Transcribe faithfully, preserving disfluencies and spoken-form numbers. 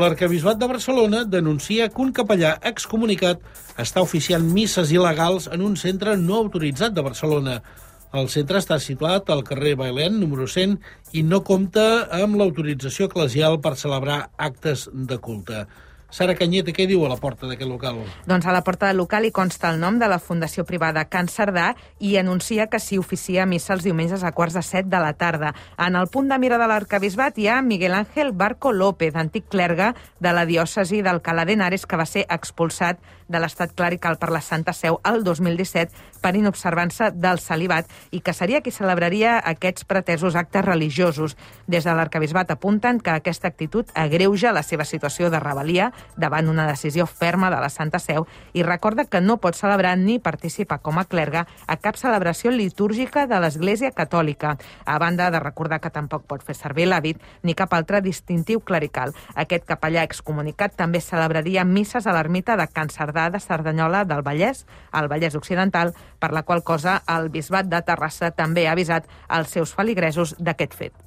L'Arquebisbat de Barcelona denuncia que un capellà excomunicat està oficiant misses il·legals en un centre no autoritzat de Barcelona. El centre està situat al carrer Bailén, número cent, i no compta amb l'autorització eclesial per celebrar actes de culte. Sara Canyete, què diu a la porta d'aquest local? Doncs a la porta del local hi consta el nom de la Fundació Privada Can Cerdà i anuncia que s'hi oficia missa els diumenges a quarts de set de la tarda. En el punt de mira de l'Arquebisbat hi ha Miguel Ángel Barco López, antic clergue de la diòcesi d'Alcalá de Henares, que va ser expulsat de l'estat clerical per la Santa Seu el dos mil disset per inobservança del celibat i que seria qui celebraria aquests pretesos actes religiosos. Des de l'Arquebisbat apunten que aquesta actitud agreuja la seva situació de rebel·lia davant una decisió ferma de la Santa Seu i recorda que no pot celebrar ni participar com a clergue a cap celebració litúrgica de l'Església Catòlica, a banda de recordar que tampoc pot fer servir l'hàbit ni cap altre distintiu clerical. Aquest capellà excomunicat també celebraria misses a l'ermita de Can Cerdà de Cerdanyola del Vallès, al Vallès Occidental, per la qual cosa el Bisbat de Terrassa també ha avisat els seus feligresos d'aquest fet.